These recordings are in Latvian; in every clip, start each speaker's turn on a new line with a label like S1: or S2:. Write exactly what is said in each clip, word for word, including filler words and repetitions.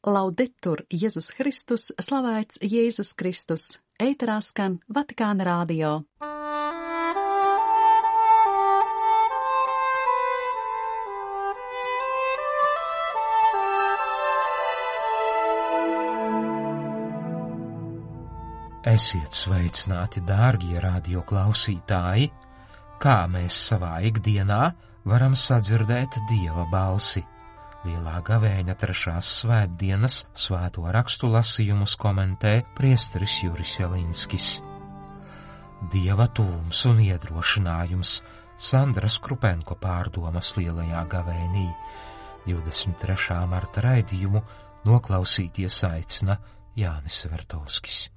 S1: Laudetur Jēzus Kristus, slavēts Jēzus Kristus, ēterā skan Vatikāna radio.
S2: Esiet sveicināti, dārgie radio klausītāji, kā mēs savā ikdienā varam sadzirdēt Dieva balsi. Lielā gavēņa trešās svētdienas svēto rakstu lasījumus komentē priesteris Juris Jelinskis. Dieva tuvums un iedrošinājums Sandras Krupenko pārdomas lielajā gavēnī. divdesmit trešā marta raidījumu noklausīties aicina Jānis Vertovskis.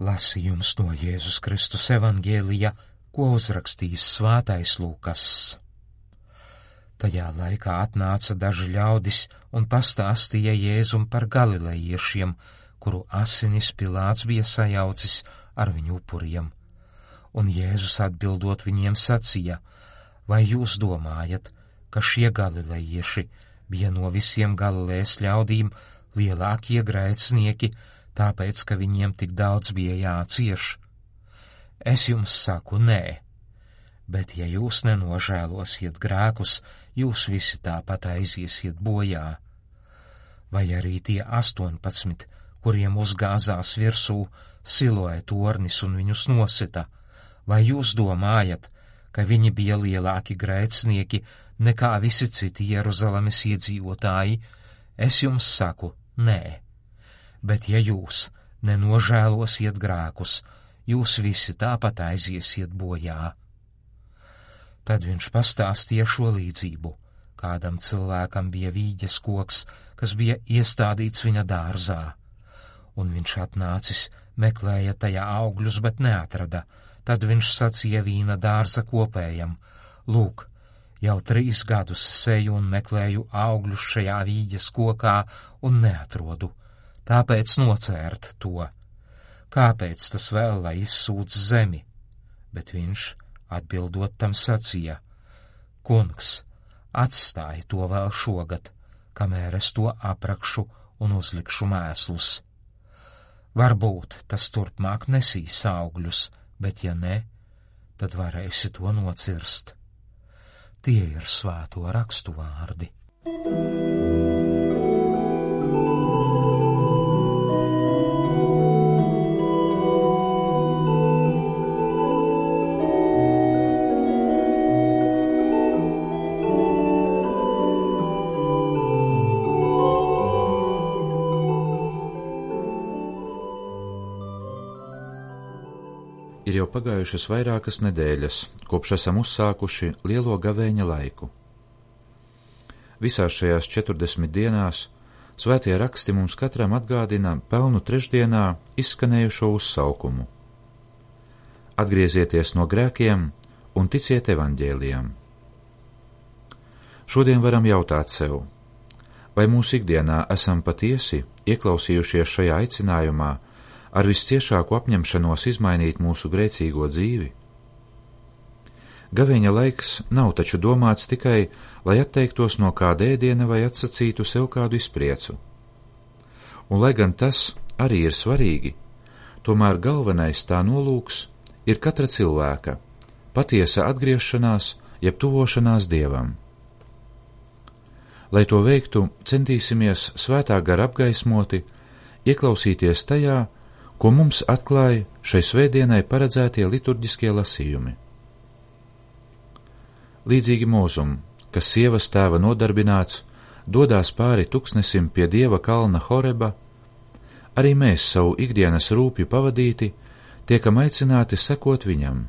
S2: Lasījums no Jēzus Kristus evanģēlija, ko uzrakstījis svētais Lūkas. Tajā laikā atnāca daži ļaudis un pastāstīja Jēzum par galilejiešiem, kuru asinis Pilāts bija sajaucis ar viņu upuriem. Un Jēzus atbildot viņiem sacīja: vai jūs domājat, ka šie galilejieši bija no visiem Galilejas ļaudīm lielākie grēcinieki, tāpēc, ka viņiem tik daudz bija jācieš? Es jums saku, nē, bet ja jūs nenožēlosiet grēkus, jūs visi tāpat aiziesiet bojā. Vai arī tie astoņpadsmit, kuriem uzgāzās virsū Siloē tornis un viņus nosita, vai jūs domājat, ka viņi bija lielāki grēcinieki nekā visi citi Jeruzalemes iedzīvotāji? Es jums saku, nē. Bet ja jūs nenožēlosiet grēkus, jūs visi tāpat aiziesiet bojā. Tad viņš pastāstīja šo līdzību. Kādam cilvēkam bija vīģes koks, kas bija iestādīts viņa dārzā, un viņš atnācis, meklēja tajā augļus, bet neatrada. Tad viņš sacīja vīna dārza kopējam: lūk, jau trīs gadus seju un meklēju augļus šajā vīģes kokā un neatrodu. Tāpēc nocērt to. Kāpēc tas vēl lai izsūdz zemi? Bet viņš, atbildot tam, sacīja: kungs, atstāj to vēl šogad, kamēr es to aprakšu un uzlikšu mēslus. Varbūt tas turpmāk nesīs augļus, bet ja ne, tad varēsi to nocirst. Tie ir svēto rakstu vārdi.
S3: Ir jau pagājušas vairākas nedēļas, kopš esam uzsākuši lielo gavēņa laiku. Visās šajās četrdesmit dienās svētie raksti mums katram atgādina pelnu trešdienā izskanējušo uzsaukumu: atgriezieties no grēkiem un ticiet evaņģēlijam. Šodien varam jautāt sev, vai mūsu ikdienā esam patiesi ieklausījušies šajā aicinājumā ar visciešāku apņemšanos izmainīt mūsu grēcīgo dzīvi? Gavēņa laiks nav taču domāts tikai, lai atteiktos no kāda ēdiena vai atsacītu sev kādu izpriecu. Un lai gan tas arī ir svarīgi, tomēr galvenais tā nolūks ir katra cilvēka patiesa atgriešanās, jeb tuvošanās Dievam. Lai to veiktu, centīsimies svētā gara apgaismoti ieklausīties tajā, ko mums atklāja šai svētdienai paredzētie liturģiskie lasījumi. Līdzīgi Mūzum, kas sievas tēva nodarbināts, dodās pāri tuksnesim pie Dieva kalna Horeba, arī mēs savu ikdienas rūpju pavadīti tiekam aicināti sekot viņam.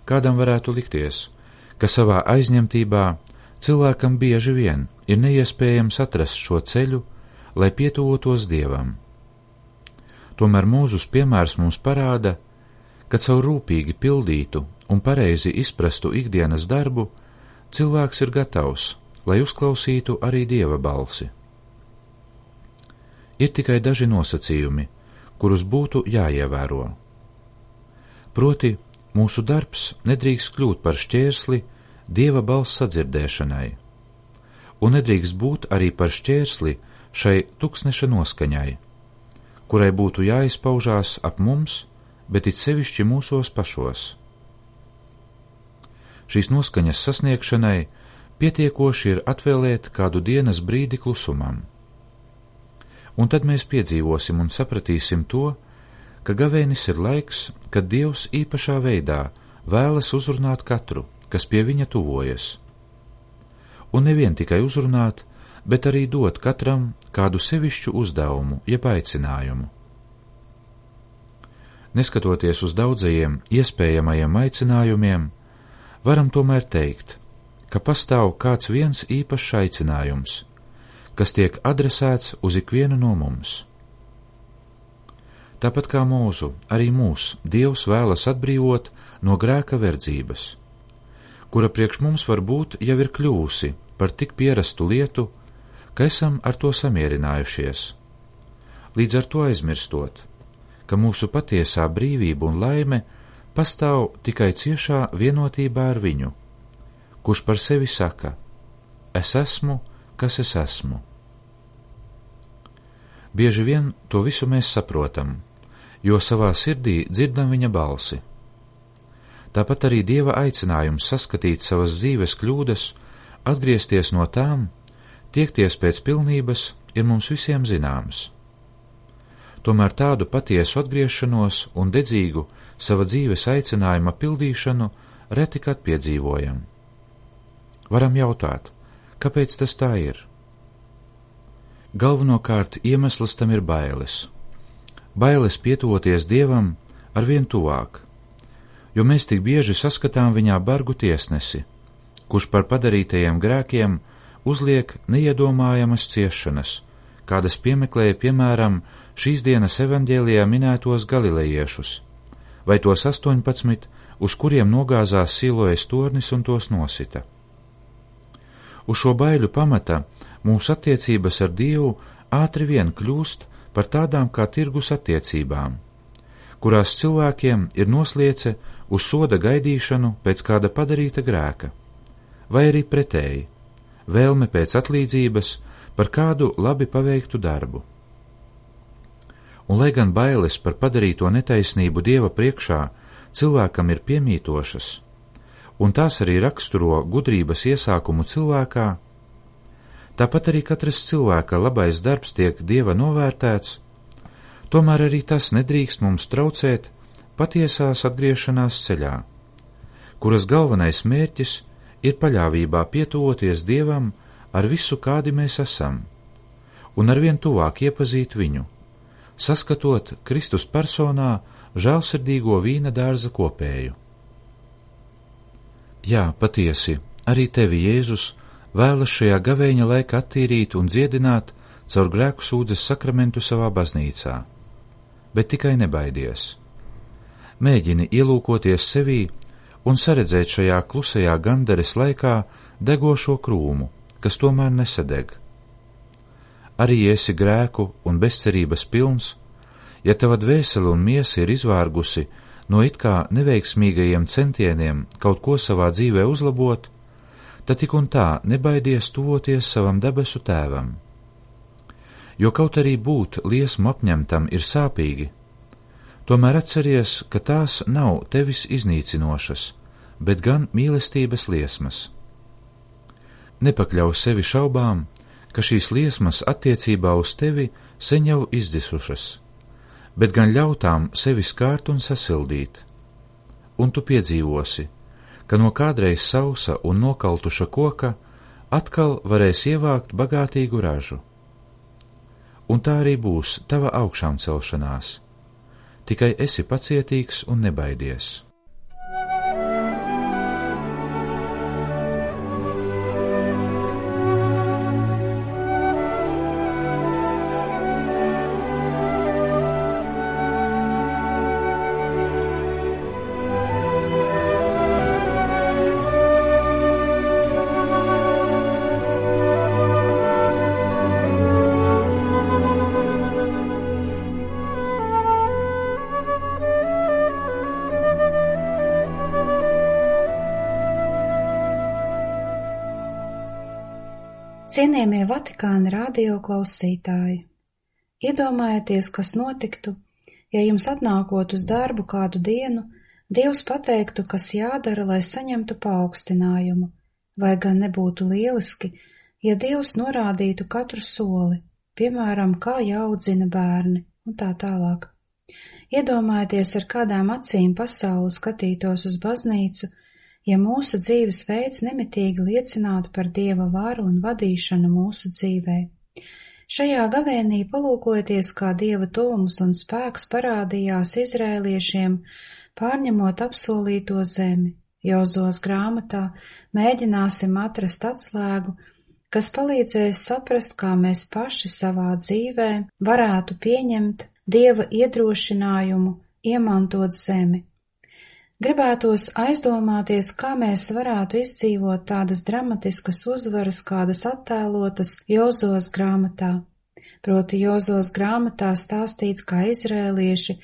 S3: Kādam varētu likties, ka savā aizņemtībā cilvēkam bieži vien ir neiespējams atrast šo ceļu, lai pietuvotos Dievam. Tomēr Mūzus piemērs mums parāda, ka caur rūpīgi pildītu un pareizi izprastu ikdienas darbu cilvēks ir gatavs, lai uzklausītu arī Dieva balsi. Ir tikai daži nosacījumi, kurus būtu jāievēro. Proti, mūsu darbs nedrīkst kļūt par šķērsli Dieva balss sadzirdēšanai, un nedrīkst būt arī par šķērsli šai tuksneša noskaņai, kurai būtu jāizpaužās ap mums, bet it sevišķi mūsos pašos. Šīs noskaņas sasniegšanai pietiekoši ir atvēlēt kādu dienas brīdi klusumam. Un tad mēs piedzīvosim un sapratīsim to, ka gavēnis ir laiks, kad Dievs īpašā veidā vēlas uzrunāt katru, kas pie viņa tuvojas. Un nevien tikai uzrunāt, bet arī dot katram kādu sevišķu uzdevumu, jeb aicinājumu. Neskatoties uz daudzajiem iespējamajiem aicinājumiem, varam tomēr teikt, ka pastāv kāds viens īpašs aicinājums, kas tiek adresēts uz ikvienu no mums. Tāpat kā mūsu, arī mūs Dievs vēlas atbrīvot no grēka verdzības, kura priekš mums varbūt jau ir kļūsi par tik pierastu lietu, ka esam ar to samierinājušies, līdz ar to aizmirstot, ka mūsu patiesā brīvība un laime pastāv tikai ciešā vienotībā ar viņu, kurš par sevi saka: es esmu, kas es esmu. Bieži vien to visu mēs saprotam, jo savā sirdī dzirdam viņa balsi. Tāpat arī Dieva aicinājums saskatīt savas dzīves kļūdas, atgriezties no tām, tiekties pēc pilnības, ir mums visiem zināms. Tomēr tādu patiesu atgriešanos un dedzīgu sava dzīves aicinājuma pildīšanu reti kad piedzīvojam. Varam jautāt, kāpēc tas tā ir? Galvenokārt iemesls tam ir bailes. Bailes pietuvoties Dievam arvien tuvāk, jo mēs tik bieži saskatām viņā bargu tiesnesi, kurš par padarītajiem grēkiem uzliek neiedomājamas ciešanas, kādas piemeklēja piemēram šīs dienas evaņģēlijā minētos galilejiešus, vai tos astoņpadsmit, uz kuriem nogāzās Silojas tornis un tos nosita. Uz šo baiļu pamata mūsu attiecības ar Dievu ātri vien kļūst par tādām kā tirgus attiecībām, kurās cilvēkiem ir nosliece uz soda gaidīšanu pēc kāda padarīta grēka, vai arī pretēji, vēlme pēc atlīdzības par kādu labi paveiktu darbu. Un lai gan bailes par padarīto netaisnību Dieva priekšā cilvēkam ir piemītošas, un tās arī raksturo gudrības iesākumu cilvēkā, tāpat arī katras cilvēka labais darbs tiek Dieva novērtēts, tomēr arī tas nedrīkst mums traucēt patiesās atgriešanās ceļā, kuras galvenais mērķis ir paļāvībā pietuvoties Dievam ar visu, kādi mēs esam, un arvien tuvāk iepazīt viņu, saskatot Kristus personā žēlsirdīgo vīna dārza kopēju. Jā, patiesi, arī tevi Jēzus vēlas šajā gavēņa laikā attīrīt un dziedināt caur grēku sūdzes sakramentu savā baznīcā, bet tikai nebaidies. Mēģini ielūkoties sevī un saredzēt šajā klusajā gandares laikā degošo krūmu, kas tomēr nesadeg. Arī ja esi grēku un bezcerības pilns, ja tava dvēsele un miesa ir izvārgusi no it kā neveiksmīgajiem centieniem kaut ko savā dzīvē uzlabot, tad tik un tā nebaidies tuvoties savam debesu tēvam. Jo kaut arī būt liesmu apņemtam ir sāpīgi, tomēr atceries, ka tās nav tevis iznīcinošas, bet gan mīlestības liesmas. Nepakļauj sevi šaubām, ka šīs liesmas attiecībā uz tevi sen jau izdzisušas, bet gan ļautām sevi skārt un sasildīt, un tu piedzīvosi, ka no kādreiz sausa un nokaltuša koka atkal varēs ievākt bagātīgu ražu. Un tā arī būs tava augšām celšanās, tikai esi pacietīgs un nebaidies.
S4: Cienījamie Vatikāna radio klausītāji, iedomājieties, kas notiktu, ja jums atnākot uz darbu kādu dienu, Dievs pateiktu, kas jādara, lai saņemtu paaugstinājumu, vai gan nebūtu lieliski, ja Dievs norādītu katru soli, piemēram, kā jāaudzina bērni un tā tālāk. Iedomājieties, ar kādām acīm pasaule skatītos uz baznīcu, ja mūsu dzīves veids nemitīgi liecinātu par Dieva varu un vadīšanu mūsu dzīvē. Šajā gavēnī palūkojieties, kā Dieva tuvums un spēks parādījās izrēliešiem, pārņemot apsolīto zemi. Jozos grāmatā mēģināsim atrast atslēgu, kas palīdzēs saprast, kā mēs paši savā dzīvē varētu pieņemt Dieva iedrošinājumu, iemantot zemi. Gribētos aizdomāties, kā mēs varētu izdzīvot tādas dramatiskas uzvaras, kādas attēlotas Jozos grāmatā. Proti Jozos grāmatā stāstīts, kā izrēlieši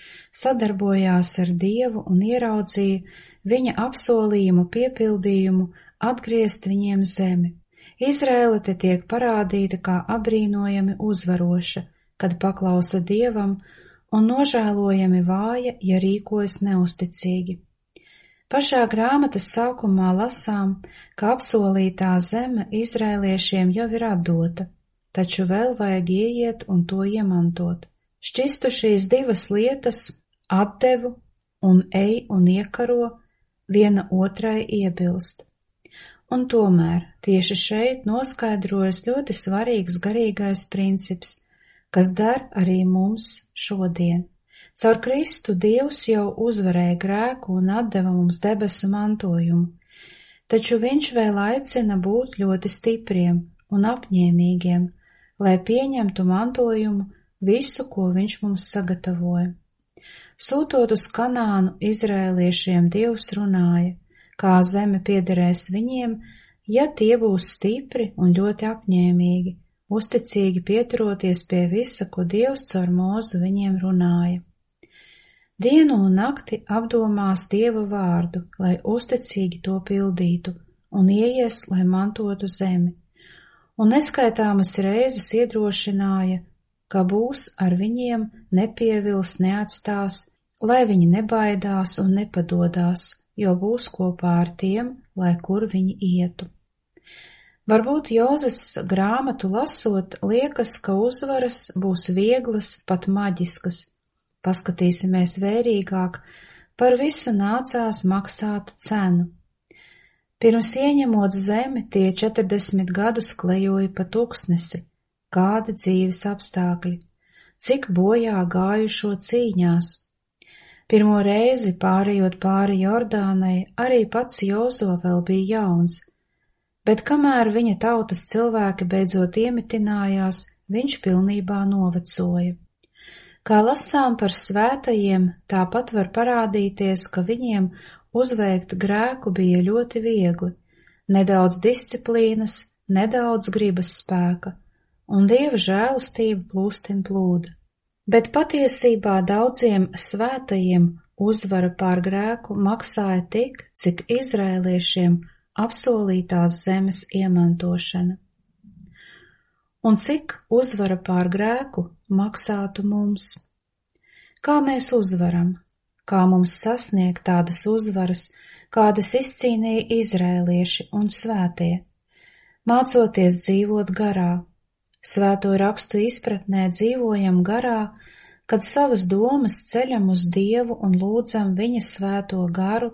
S4: sadarbojās ar Dievu un ieraudzīja viņa apsolījumu piepildījumu atgriezt viņiem zemi. Izrēle te tiek parādīta kā abrīnojami uzvaroša, kad paklausa Dievam, un nožēlojami vāja, ja rīkojas neusticīgi. Pašā grāmatas sākumā lasām, ka apsolītā zeme izrēliešiem jau ir atdota, taču vēl vajag ieiet un to iemantot. Šķistu šīs divas lietas, atdevu un ej un iekaro, viena otrai iebilst. Un tomēr tieši šeit noskaidrojas ļoti svarīgs garīgais princips, kas der arī mums šodien. Caur Kristu Dievs jau uzvarēja grēku un atdeva mums debesu mantojumu, taču viņš vēl aicina būt ļoti stipriem un apņēmīgiem, lai pieņemtu mantojumu visu, ko viņš mums sagatavoja. Sūtot uz Kanānu izrēliešiem Dievs runāja, kā zeme piederēs viņiem, ja tie būs stipri un ļoti apņēmīgi, uzticīgi pieturoties pie visa, ko Dievs caur Mūzu viņiem runāja. Dienu un nakti apdomās Dieva vārdu, lai uzticīgi to pildītu, un ieies, lai mantotu zemi. Un neskaitāmas reizes iedrošināja, ka būs ar viņiem, nepievils, neatstās, lai viņi nebaidās un nepadodās, jo būs kopā ar tiem, lai kur viņi ietu. Varbūt Jozes grāmatu lasot, liekas, ka uzvaras būs vieglas, pat maģiskas. Paskatīsimies vērīgāk, par visu nācās maksāt cenu. Pirms ieņemot zemi, tie četrdesmit gadus klejoja pa tūkstnesi, kādi dzīves apstākļi, cik bojā gājušo cīņās. Pirmo reizi pārējot pāri Jordānai, arī pats Jozo vēl bija jauns, bet kamēr viņa tautas cilvēki beidzot iemitinājās, viņš pilnībā novecoja. Kā lasām par svētajiem, tāpat var parādīties, ka viņiem uzveikt grēku bija ļoti viegli, nedaudz disciplīnas, nedaudz gribas spēka, un Dieva žēlastība plūstin plūda. Bet patiesībā daudziem svētajiem uzvara pār grēku maksāja tik, cik izrēliešiem apsolītās zemes iemantošana. Un cik uzvara pār grēku maksātu mums? Kā mēs uzvaram? Kā mums sasniegt tādas uzvaras, kādas izcīnīja izrēlieši un svētie? Mācoties dzīvot garā. Svēto rakstu izpratnē dzīvojam garā, kad savas domas ceļam uz Dievu un lūdzam viņa svēto garu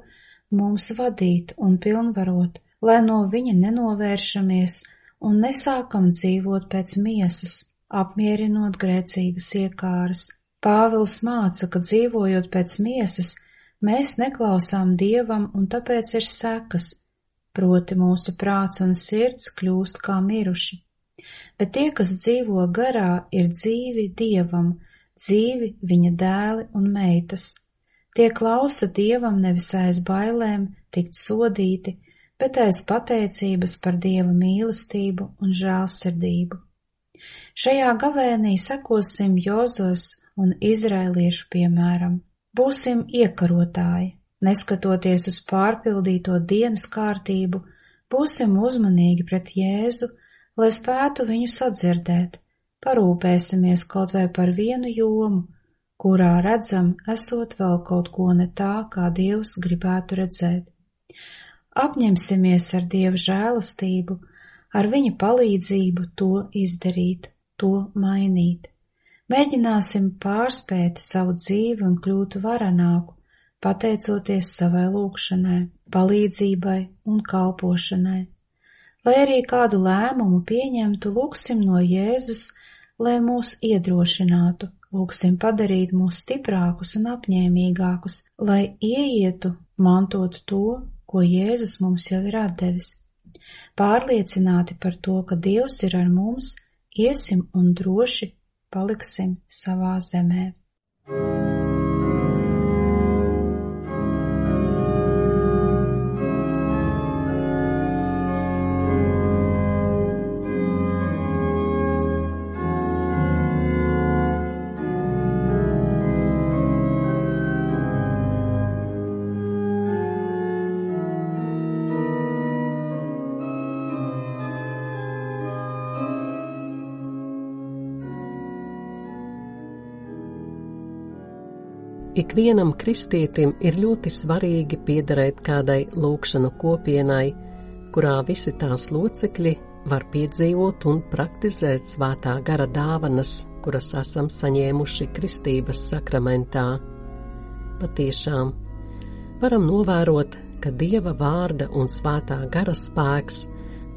S4: mums vadīt un pilnvarot, lai no viņa nenovēršamies un nesākam dzīvot pēc miesas, apmierinot grēcīgas iekāras. Pāvils māca, ka dzīvojot pēc miesas, mēs neklausām Dievam un tāpēc ir sekas, proti mūsu prāts un sirds kļūst kā miruši. Bet tie, kas dzīvo garā, ir dzīvi Dievam, dzīvi viņa dēli un meitas. Tie klausa Dievam nevis aiz bailēm tikt sodīti, bet aiz pateicības par Dieva mīlestību un žēlsirdību. Šajā gavēnī sekosim Jozos un izrēliešu piemēram. Būsim iekarotāji, neskatoties uz pārpildīto dienas kārtību, būsim uzmanīgi pret Jēzu, lai spētu viņu sadzirdēt. Parūpēsimies kaut vai par vienu jomu, kurā redzam, esot vēl kaut ko ne tā, kā Dievs gribētu redzēt. Apņemsimies ar Dieva žēlastību, ar viņa palīdzību to izdarīt, to mainīt. Mēģināsim pārspēt savu dzīvi un kļūt varenāku, pateicoties savai lūgšanai, palīdzībai un kalpošanai. Lai arī kādu lēmumu pieņemtu, lūgsim no Jēzus, lai mūs iedrošinātu, lūgsim padarīt mūs stiprākus un apņēmīgākus, lai ieietu, mantotu to, ko Jēzus mums jau ir atdevis. Pārliecināti par to, ka Dievs ir ar mums, iesim un droši paliksim savā zemē.
S5: Ikvienam kristietim ir ļoti svarīgi piederēt kādai lūgšanu kopienai, kurā visi tās locekļi var piedzīvot un praktizēt svētā gara dāvanas, kuras esam saņēmuši kristības sakramentā. Patiešām, varam novērot, ka Dieva vārda un svētā gara spēks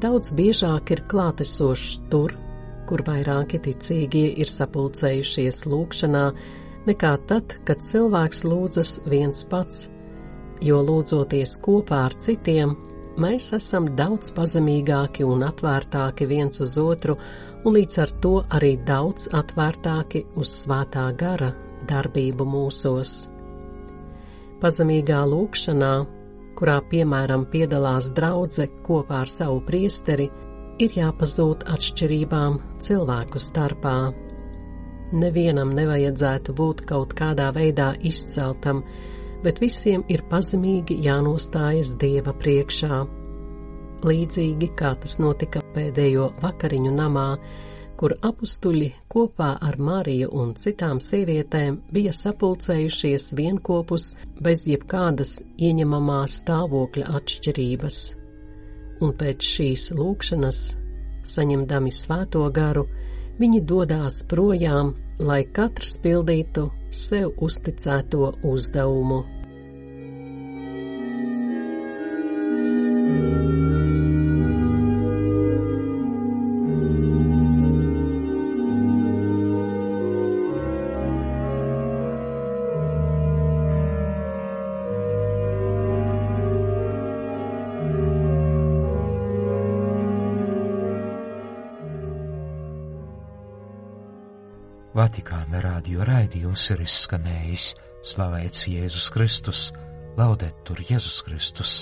S5: daudz biežāk ir klātesošs tur, kur vairāki ticīgie ir sapulcējušies lūgšanā, nekā tad, kad cilvēks lūdzas viens pats, jo lūdzoties kopā ar citiem, mēs esam daudz pazemīgāki un atvērtāki viens uz otru, un līdz ar to arī daudz atvērtāki uz svētā gara darbību mūsos. Pazemīgā lūgšanā, kurā piemēram piedalās draudze kopā ar savu priesteri, ir jāpazūd atšķirībām cilvēku starpā. Nevienam nevajadzētu būt kaut kādā veidā izceltam, bet visiem ir pazemīgi jānostājas Dieva priekšā. Līdzīgi kā tas notika pēdējo vakariņu namā, kur apustuļi kopā ar Mariju un citām sievietēm bija sapulcējušies vienkopus bez jebkādas ieņemamā stāvokļa atšķirības. Un pēc šīs lūgšanas, saņemdami svēto garu, viņi dodās projām, lai katrs pildītu sev uzticēto uzdevumu.
S2: Vatikāna radio raidījums ir izskanējis. Slavēts Jēzus Kristus, laudetur Jēzus Kristus.